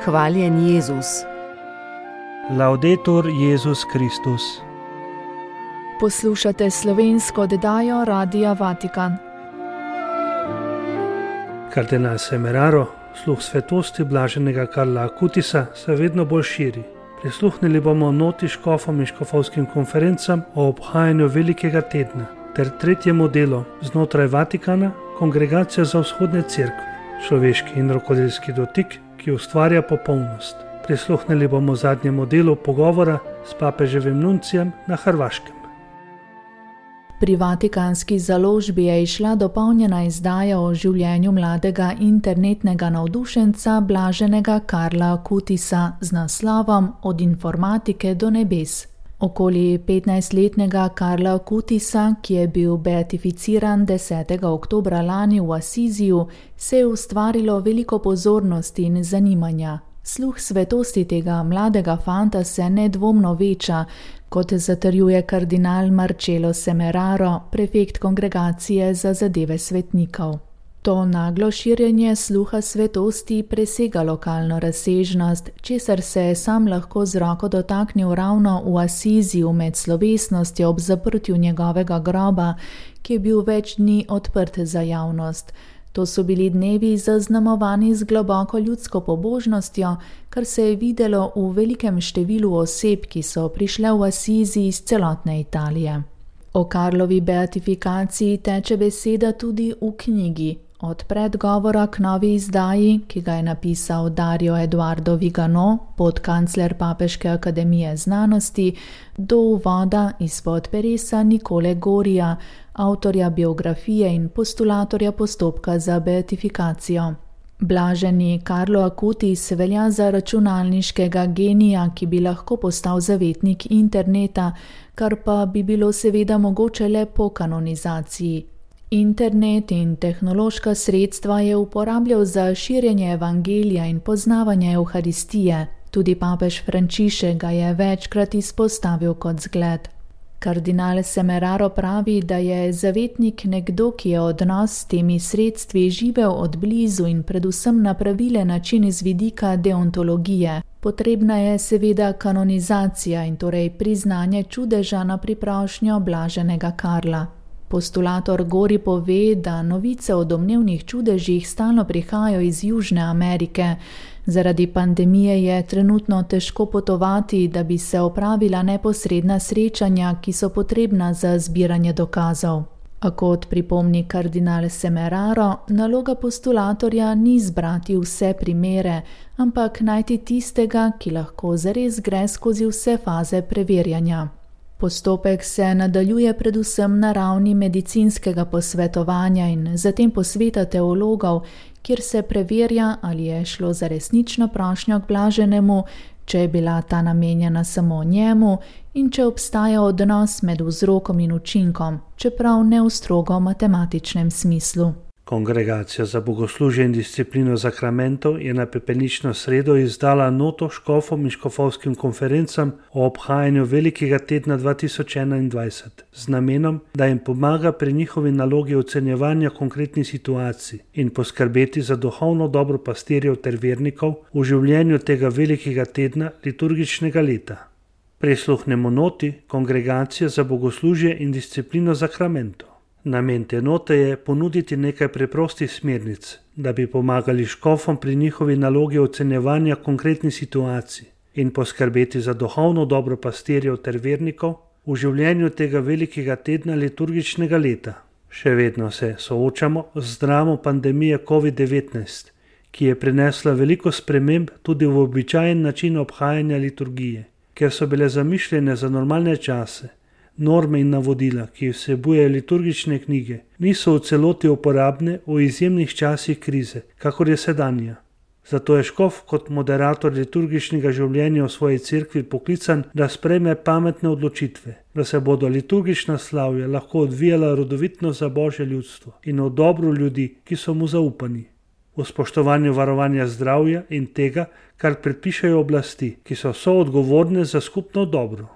Hvaljen Jezus. Laudetur Jezus Kristus. Poslušate slovensko oddajo Radia Vatikan. Kardinal Semeraro, sluh svetosti blaženega Karla Akutisa, se vedno bolj širi. Prisluhnili bomo noti škofom in škofovskim konferencam o obhajanju Velikega tedna ter tretjemu delu znotraj Vatikana, Kongregacija za vzhodne cerkve, človeški in rokodelski dotik, ki ustvarja popolnost. Prisluhnili bomo zadnjemu delu pogovora s papeževim nuncijem na Hrvaškem. Pri vatikanski založbi je izšla dopolnjena izdaja o življenju mladega internetnega navdušenca blaženega Karla Akutisa z naslovom Od informatike do nebes. Okoli 15-letnega Karla Akutisa, ki je bil beatificiran 10. oktobra lani v Asiziju, se je ustvarilo veliko pozornosti in zanimanja. Sluh svetosti tega mladega fanta se nedvomno veča, kot zatrjuje kardinal Marcello Semeraro, prefekt Kongregacije za zadeve svetnikov. To naglo širjenje sluha svetosti presega lokalno razsežnost, česar se je sam lahko z roko dotaknil ravno v Asiziju med slovesnostjo ob zaprtju njegovega groba, ki je bil več dni odprt za javnost. To so bili dnevi zaznamovani z globoko ljudsko pobožnostjo, kar se je videlo v velikem številu oseb, ki so prišle v Asizi iz celotne Italije. O Karlovi beatifikaciji teče beseda tudi v knjigi. Od predgovora k novi izdaji, ki ga je napisal Dario Eduardo Vigano, podkancler Papeške akademije znanosti, do uvoda izpod peresa Nicole Gorija, avtorja biografije in postulatorja postopka za beatifikacijo. Blaženi Karlo Akutis velja za računalniškega genija, ki bi lahko postal zavetnik interneta, kar pa bi bilo seveda mogoče le po kanonizaciji. Internet in tehnološka sredstva je uporabljal za širjenje evangelija in poznavanje Evharistije. Tudi papež Frančišek ga je večkrat izpostavil kot zgled. Kardinal Semeraro pravi, da je zavetnik nekdo, ki je odnos s temi sredstvi živel od blizu in predvsem na pravilen način z vidika deontologije. Potrebna je seveda kanonizacija in torej priznanje čudeža na priprošnjo blaženega Karla. Postulator Gori pove, da novice o domnevnih čudežih stalno prihajajo iz Južne Amerike. Zaradi pandemije je trenutno težko potovati, da bi se opravila neposredna srečanja, ki so potrebna za zbiranje dokazov. A kot pripomni kardinal Semeraro, naloga postulatorja ni zbrati vse primere, ampak najti tistega, ki lahko zares gre skozi vse faze preverjanja. Postopek se nadaljuje predvsem na ravni medicinskega posvetovanja in zatem posveta teologov, kjer se preverja, ali je šlo za resnično prošnjo k blaženemu, če je bila ta namenjena samo njemu in če obstaja odnos med vzrokom in učinkom, čeprav ne v strogo matematičnem smislu. Kongregacija za bogoslužje in disciplino zakramentov je na pepelnično sredo izdala noto škofom in škofovskim konferencam o obhajanju Velikega tedna 2021 z namenom, da jim pomaga pri njihovi nalogi ocenjevanja konkretnih situacij in poskrbeti za duhovno dobro pastirjev ter vernikov v življenju tega Velikega tedna liturgičnega leta. Prisluhnemo noti Kongregacije za bogoslužje in disciplino zakramentov. Namen te note je ponuditi nekaj preprostih smernic, da bi pomagali škofom pri njihovi nalogi ocenjevanja konkretnih situacij in poskrbeti za duhovno dobro pastirjev ter vernikov v življenju tega Velikega tedna liturgičnega leta. Še vedno se soočamo z dramo pandemije COVID-19, ki je prinesla veliko sprememb tudi v običajen način obhajanja liturgije, ker so bile zamišljene za normalne čase. Norme in navodila, ki vsebujejo liturgične knjige, niso v celoti uporabne v izjemnih časih krize, kakor je sedanja. Zato je škof kot moderator liturgičnega življenja v svoji cerkvi poklican, da sprejme pametne odločitve, da se bodo liturgična slavja lahko odvijala rodovitno za Božje ljudstvo in v dobro ljudi, ki so mu zaupani. V spoštovanju varovanja zdravja in tega, kar predpišajo oblasti, ki so soodgovorne za skupno dobro.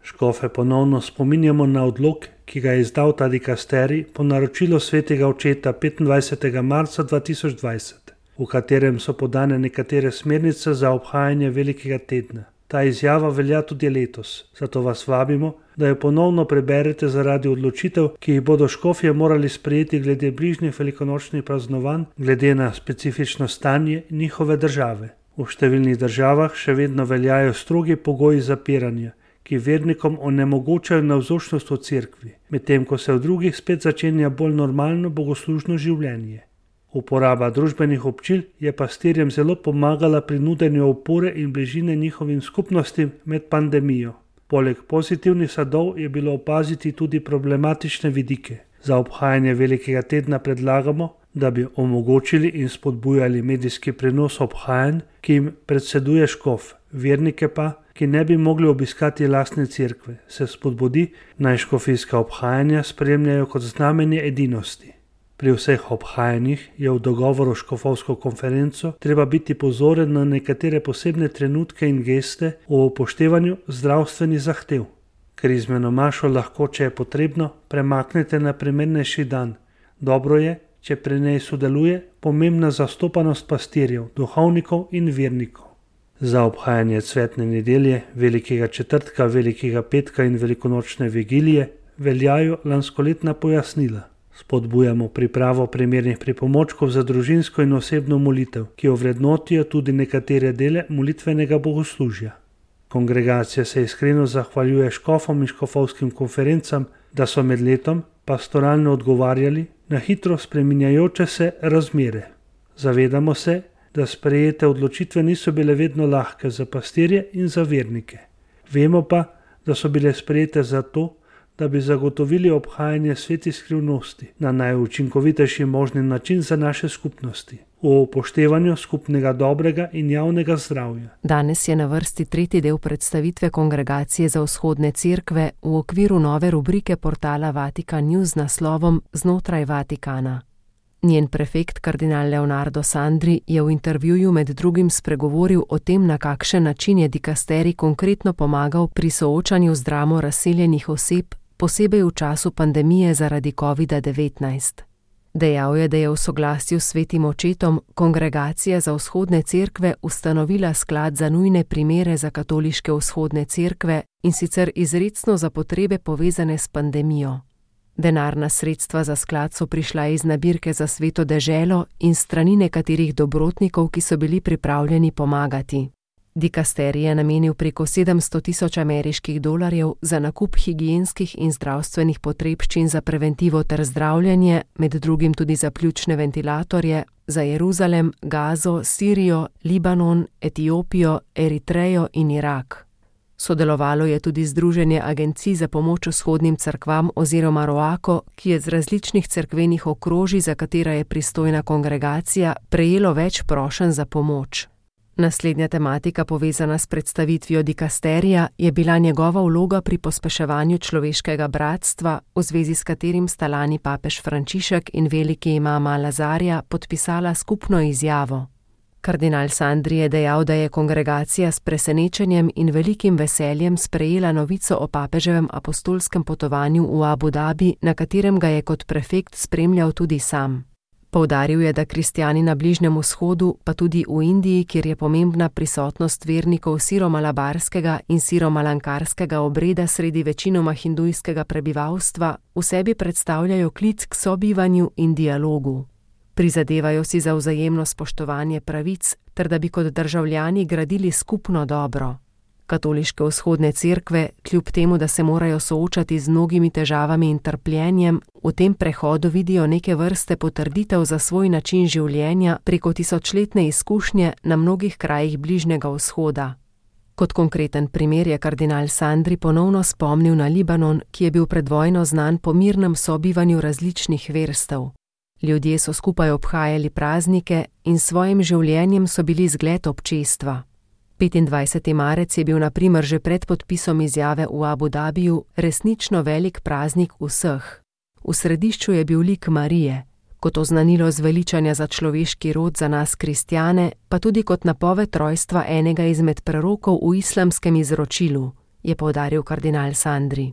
Škofe ponovno spominjamo na odlok, ki ga je izdal ta dikasterij po naročilu svetega očeta 25. marca 2020. v katerem so podane nekatere smernice za obhajanje velikega tedna. Ta izjava velja tudi letos, zato vas vabimo, da jo ponovno preberete zaradi odločitev, ki jih bodo škofje morali sprejeti glede bližnjih velikonočnih praznovanj, glede na specifično stanje njihove države. V številnih državah še vedno veljajo strogi pogoji zapiranja, ki vernikom onemogočajo navzočnost v cerkvi, medtem ko se v drugih spet začenja bolj normalno bogoslužno življenje. Uporaba družbenih občil je pastirjem zelo pomagala pri nudenju opore in bližine njihovim skupnostim med pandemijo. Poleg pozitivnih sadov je bilo opaziti tudi problematične vidike. Za obhajanje velikega tedna predlagamo, da bi omogočili in spodbujali medijski prenos obhajanj, ki jim predseduje škof, vernike pa, ki ne bi mogli obiskati lastne cerkve, se spodbudi, naj škofijska obhajanja spremljajo kot znamenje edinosti. Pri vseh obhajanjih je v dogovoru s škofovsko konferenco treba biti pozoren na nekatere posebne trenutke in geste v upoštevanju zdravstvenih zahtev. Krizmeno mašo lahko, če je potrebno, premaknete na primernejši dan. Dobro je, če pri njej sodeluje pomembna zastopanost pastirjev, duhovnikov in vernikov. Za obhajanje cvetne nedelje, velikega četrtka, velikega petka in velikonočne vigilije veljajo lanskoletna pojasnila. Spodbujamo pripravo primernih pripomočkov za družinsko in osebno molitev, ki ovrednotijo tudi nekatere dele molitvenega bogoslužja. Kongregacija se iskreno zahvaljuje škofom in škofovskim konferencam, da so med letom pastoralno odgovarjali na hitro spreminjajoče se razmere. Zavedamo se, da sprejete odločitve niso bile vedno lahke za pastirje in za vernike. Vemo pa, da so bile sprejete zato, da bi zagotovili obhajanje svetih skrivnosti na najučinkovitejši možni način za naše skupnosti, v upoštevanju skupnega dobrega in javnega zdravja. Danes je na vrsti tretji del predstavitve Kongregacije za vzhodne cerkve v okviru nove rubrike portala Vatikan News z naslovom Znotraj Vatikana. Njen prefekt kardinal Leonardo Sandri je v intervjuju med drugim spregovoril o tem, na kakšen način je dikasterij konkretno pomagal pri soočanju z dramo razseljenih oseb, posebej v času pandemije zaradi COVID-19. Dejal je, da je v soglasju s svetim očetom Kongregacija za vzhodne cerkve ustanovila sklad za nujne primere za katoliške vzhodne cerkve, in sicer izrecno za potrebe povezane s pandemijo. Denarna sredstva za sklad so prišla iz nabirke za Sveto deželo in strani nekaterih dobrotnikov, ki so bili pripravljeni pomagati. Dikasterij je namenil preko 700.000 ameriških dolarjev za nakup higienskih in zdravstvenih potrebščin za preventivo ter zdravljenje, med drugim tudi za pljučne ventilatorje, za Jeruzalem, Gazo, Sirijo, Libanon, Etiopijo, Eritrejo in Irak. Sodelovalo je tudi Združenje agencij za pomoč vzhodnim cerkvam oziroma ROACO, ki je z različnih cerkvenih okrožij, za katera je pristojna kongregacija, prejelo več prošenj za pomoč. Naslednja tematika, povezana s predstavitvijo dikasterija, je bila njegova vloga pri pospeševanju človeškega bratstva, v zvezi s katerim sta lani papež Frančišek in veliki imam Al-Azarja podpisala skupno izjavo. Kardinal Sandri je dejal, da je kongregacija s presenečenjem in velikim veseljem sprejela novico o papeževem apostolskem potovanju v Abu Dhabi, na katerem ga je kot prefekt spremljal tudi sam. Poudaril je, da kristjani na Bližnjem vzhodu, pa tudi v Indiji, kjer je pomembna prisotnost vernikov siromalabarskega in siromalankarskega obreda sredi večinoma hindujskega prebivalstva, v sebi predstavljajo klic k sobivanju in dialogu. Prizadevajo si za vzajemno spoštovanje pravic, ter da bi kot državljani gradili skupno dobro. Katoliške vzhodne cerkve, kljub temu, da se morajo soočati z mnogimi težavami in trpljenjem, v tem prehodu vidijo neke vrste potrditev za svoj način življenja preko tisočletne izkušnje na mnogih krajih Bližnjega vzhoda. Kot konkreten primer je kardinal Sandri ponovno spomnil na Libanon, ki je bil pred vojno znan po mirnem sobivanju različnih verstev. Ljudje so skupaj obhajali praznike in s svojim življenjem so bili zgled občestva. 25. marec je bil na primer že pred podpisom izjave v Abu Dhabiju resnično velik praznik vseh. V središču je bil lik Marije, kot oznanilo zveličanja za človeški rod za nas kristjane, pa tudi kot napoved rojstva enega izmed prerokov v islamskem izročilu, je poudaril kardinal Sandri.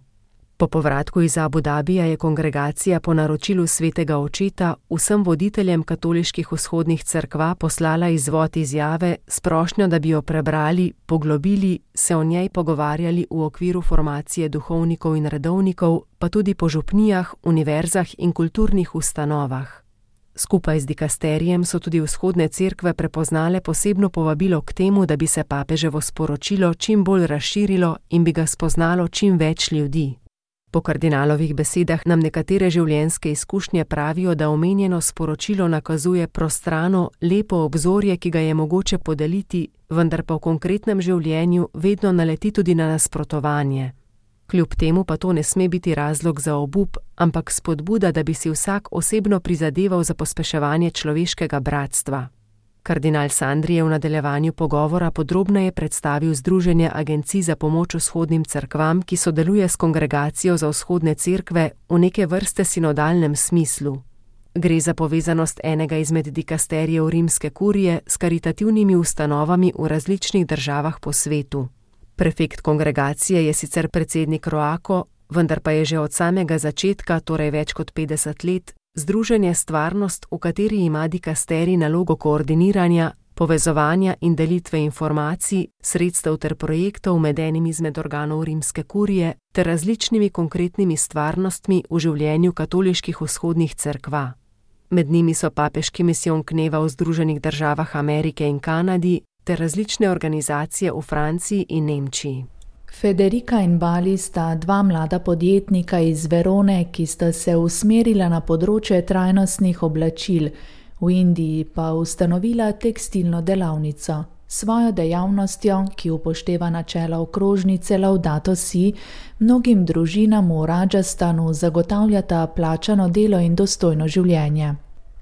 Po povratku iz Abu Dabija je kongregacija po naročilu svetega očeta vsem voditeljem katoliških vzhodnih cerkva poslala izvod izjave s prošnjo, da bi jo prebrali, poglobili, se o njej pogovarjali v okviru formacije duhovnikov in redovnikov, pa tudi po župnijah, univerzah in kulturnih ustanovah. Skupaj z dikasterijem so tudi vzhodne cerkve prepoznale posebno povabilo k temu, da bi se papeževo sporočilo čim bolj razširilo in bi ga spoznalo čim več ljudi. Po kardinalovih besedah nam nekatere življenjske izkušnje pravijo, da omenjeno sporočilo nakazuje prostrano, lepo obzorje, ki ga je mogoče podeliti, vendar pa v konkretnem življenju vedno naleti tudi na nasprotovanje. Kljub temu pa to ne sme biti razlog za obup, ampak spodbuda, da bi si vsak osebno prizadeval za pospeševanje človeškega bratstva. Kardinal Sandri je v nadaljevanju pogovora podrobneje predstavil Združenje agencij za pomoč vzhodnim cerkvam, ki sodeluje s Kongregacijo za vzhodne cerkve v neke vrste sinodalnem smislu. Gre za povezanost enega izmed dikasterijev rimske kurije s karitativnimi ustanovami v različnih državah po svetu. Prefekt kongregacije je sicer predsednik Roako, vendar pa je že od samega začetka, torej več kot 50 let, združenje Stvarnost, v kateri ima dikasterij nalogo koordiniranja, povezovanja in delitve informacij, sredstev ter projektov med enim izmed organov rimske kurije ter različnimi konkretnimi stvarnostmi v življenju katoliških vzhodnih cerkva. Med njimi so papeški misijon Kneva v Združenih državah Amerike in Kanadi ter različne organizacije v Franciji in Nemčiji. Federica in Bali sta dva mlada podjetnika iz Verone, ki sta se usmerila na področje trajnostnih oblačil, v Indiji pa ustanovila tekstilno delavnico. Svojo dejavnostjo, ki upošteva načela okrožnice Laudato Si, mnogim družinam v Rajasthanu zagotavljata plačano delo in dostojno življenje.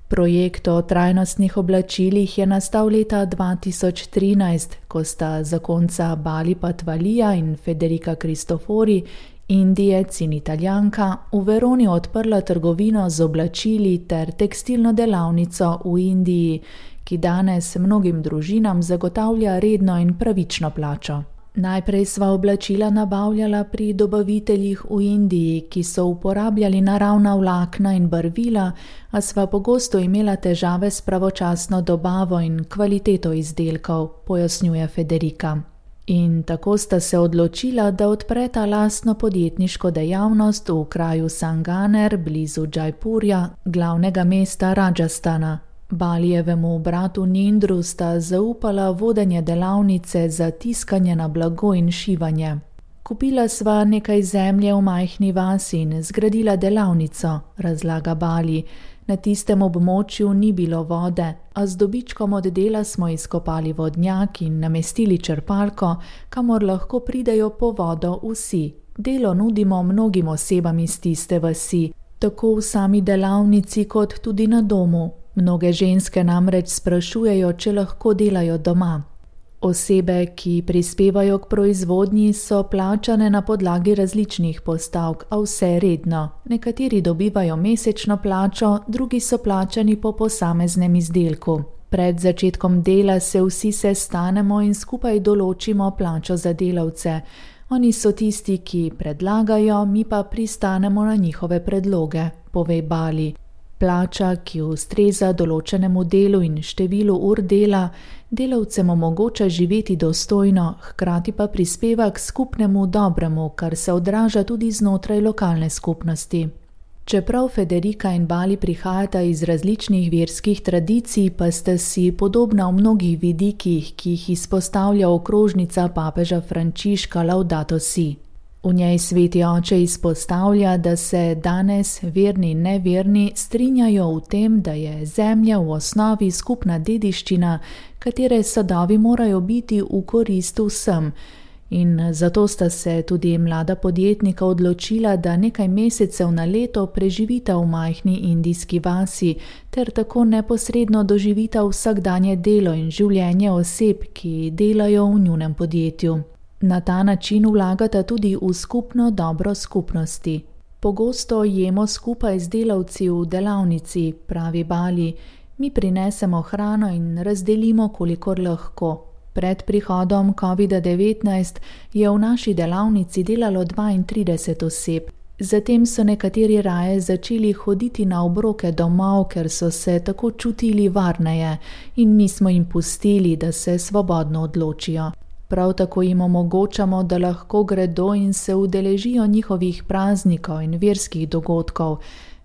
Projekt o trajnostnih oblačilih je nastal leta 2013, ko sta zakonca Bali Patvalija in Federica Cristofori, Indijec in Italijanka, v Veroni odprla trgovino z oblačili ter tekstilno delavnico v Indiji, ki danes mnogim družinam zagotavlja redno in pravično plačo. Najprej sva oblačila nabavljala pri dobaviteljih v Indiji, ki so uporabljali naravna vlakna in barvila, a sva pogosto imela težave s pravočasno dobavo in kvaliteto izdelkov, pojasnjuje Federica. In tako sta se odločila, da odpreta lastno podjetniško dejavnost v kraju Sanganer, blizu Džajpurja, glavnega mesta Rajasthana. Balijevemu bratu Nindru sta zaupala vodenje delavnice za tiskanje na blago in šivanje. Kupila sva nekaj zemlje v majhni vasi in zgradila delavnico, razlaga Bali. Na tistem območju ni bilo vode, a z dobičkom od dela smo izkopali vodnjak in namestili črpalko, kamor lahko pridejo po vodo vsi. Delo nudimo mnogim osebam iz tiste vasi, tako v sami delavnici kot tudi na domu. Mnoge ženske namreč sprašujejo, če lahko delajo doma. Osebe, ki prispevajo k proizvodnji, so plačane na podlagi različnih postavk, a vse redno. Nekateri dobivajo mesečno plačo, drugi so plačani po posameznem izdelku. Pred začetkom dela se vsi sestanemo in skupaj določimo plačo za delavce. Oni so tisti, ki predlagajo, mi pa pristanemo na njihove predloge, pove Bali. Plača, ki ustreza določenemu delu in številu ur dela, delavcem omogoča živeti dostojno, hkrati pa prispeva k skupnemu dobremu, kar se odraža tudi znotraj lokalne skupnosti. Čeprav Federica in Bali prihajata iz različnih verskih tradicij, pa sta si podobna v mnogih vidikih, ki jih izpostavlja okrožnica papeža Frančiška Laudato Si. V njej sveti oče izpostavlja, da se danes verni in neverni strinjajo v tem, da je zemlja v osnovi skupna dediščina, katere sadovi morajo biti v korist vsem. In zato sta se tudi mlada podjetnika odločila, da nekaj mesecev na leto preživita v majhni indijski vasi, ter tako neposredno doživita vsakdanje delo in življenje oseb, ki delajo v njunem podjetju. Na ta način vlagata tudi v skupno dobro skupnosti. Pogosto jemo skupaj z delavci v delavnici, pravi Bali. Mi prinesemo hrano in razdelimo, kolikor lahko. Pred prihodom COVID-19 je v naši delavnici delalo 32 oseb. Zatem so nekateri raje začeli hoditi na obroke domov, ker so se tako čutili varneje in mi smo jim pustili, da se svobodno odločijo. Prav tako jim omogočamo, da lahko gredo in se udeležijo njihovih praznikov in verskih dogodkov.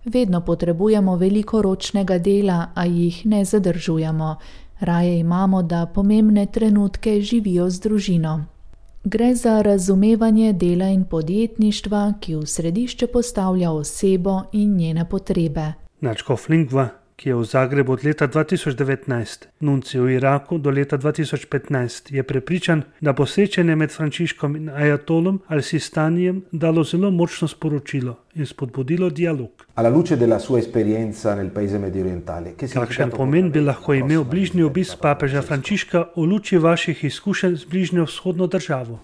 Vedno potrebujemo veliko ročnega dela, a jih ne zadržujemo. Raje imamo, da pomembne trenutke živijo z družino. Gre za razumevanje dela in podjetništva, ki v središče postavlja osebo in njene potrebe. Nadškof Lingva, ki je v Zagrebu od leta 2019, nuncij v Iraku do leta 2015, je prepričan, da bo srečanje med Frančiškom in ajatolom al-Sistanijem dalo zelo močno sporočilo in spodbudilo dialog. Kakšen pomen bi lahko imel bližnji obisk papeža Frančiška v luči vaših izkušenj z bližnjo vzhodno državo?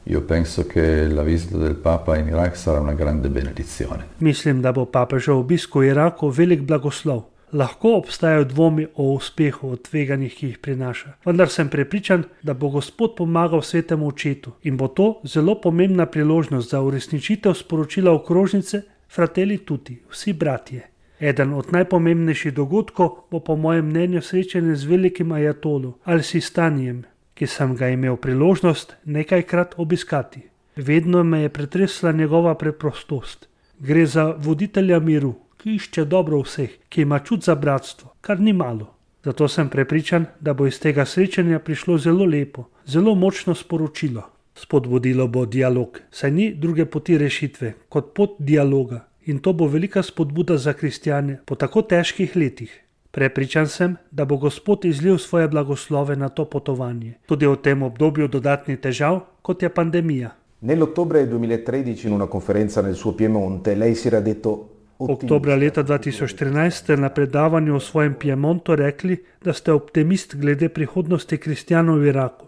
Mislim, da bo papežev obisk v Iraku velik blagoslov. Lahko obstajajo dvomi o uspehu od tveganjih, ki jih prinaša, vendar sem prepričan, da bo Gospod pomagal svetemu očetu in bo to zelo pomembna priložnost za uresničitev sporočila okrožnice Fratelli Tutti, vsi bratje. Eden od najpomembnejših dogodkov bo po mojem mnenju srečanje z velikim ajatolom al-Sistanijem, ki sem ga imel priložnost nekajkrat obiskati. Vedno me je pretresla njegova preprostost. Gre za voditelja miru, ki išče dobro vseh, ki ima čut za bratstvo, kar ni malo. Zato sem prepričan, da bo iz tega srečanja prišlo zelo lepo, zelo močno sporočilo. Spodbudilo bo dialog, saj ni druge poti rešitve kot pot dialoga in to bo velika spodbuda za kristjane po tako težkih letih. Prepričan sem, da bo Gospod izlil svoje blagoslove na to potovanje, tudi v tem obdobju dodatnih težav, kot je pandemija. Nell'ottobre 2013 in una conferenza nel suo Piemonte lei si era detto Oktobra leta 2014 ste na predavanju v svojem Piemontu rekli, da ste optimist glede prihodnosti kristjanov v Iraku.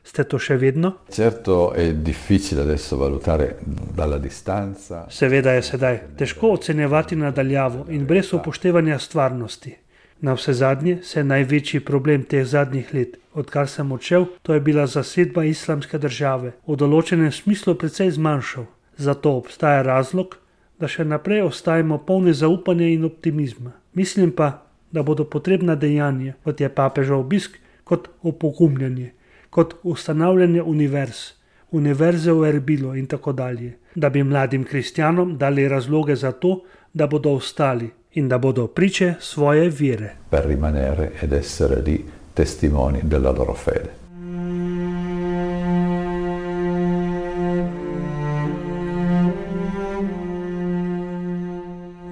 Ste to še vedno? Certo è difficile adesso valutare dalla distanza. Seveda je sedaj težko ocenjevati nadaljavo in brez upoštevanja stvarnosti. Na vse zadnje se največji problem teh zadnjih let, odkar sem odšel, to je bila zasedba islamske države, v določenem smislu precej zmanjšal. Zato obstaja razlog, da še naprej ostajamo polni zaupanja in optimizma. Mislim pa, da bodo potrebna dejanja, kot je papežev obisk, kot opogumljanje, kot ustanavljanje univerze v Erbilu in tako dalje, da bi mladim kristjanom dali razloge za to, da bodo ostali in da bodo priče svoje vere. Per rimanere ed essere lì testimoni della loro fede.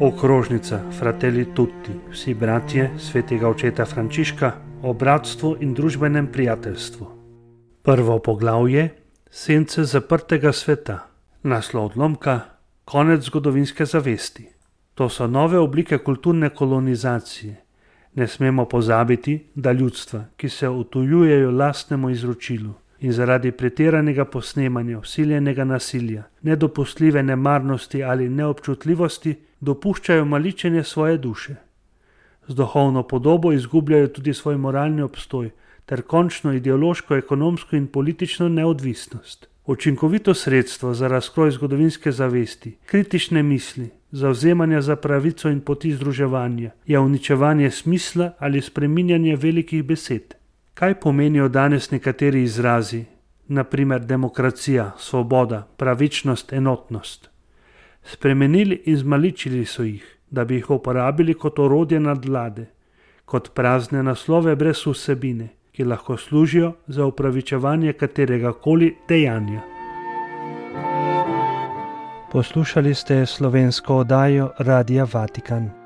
Okrožnica Fratelli Tutti, vsi bratje svetega očeta Frančiška o bratstvu in družbenem prijateljstvu. Prvo poglavje, sence zaprtega sveta, naslov odlomka, konec zgodovinske zavesti. To so nove oblike kulturne kolonizacije. Ne smemo pozabiti, da ljudstva, ki se utujujejo lastnemu izročilu in zaradi pretiranega posnemanja, vsiljenega nasilja, nedopustljive nemarnosti ali neobčutljivosti, dopuščajo maličenje svoje duše. Z duhovno podobo izgubljajo tudi svoj moralni obstoj ter končno ideološko, ekonomsko in politično neodvisnost. Učinkovito sredstvo za razkroj zgodovinske zavesti, kritične misli, zavzemanja za pravico in poti združevanja je uničevanje smisla ali spreminjanje velikih besed. Kaj pomenijo danes nekateri izrazi, na primer demokracija, svoboda, pravičnost, enotnost? Spremenili in zmaličili so jih, da bi jih uporabili kot orodje nadvlade, kot prazne naslove brez vsebine, ki lahko služijo za upravičevanje katerega koli dejanja. Poslušali ste slovensko oddajo Radia Vatikan.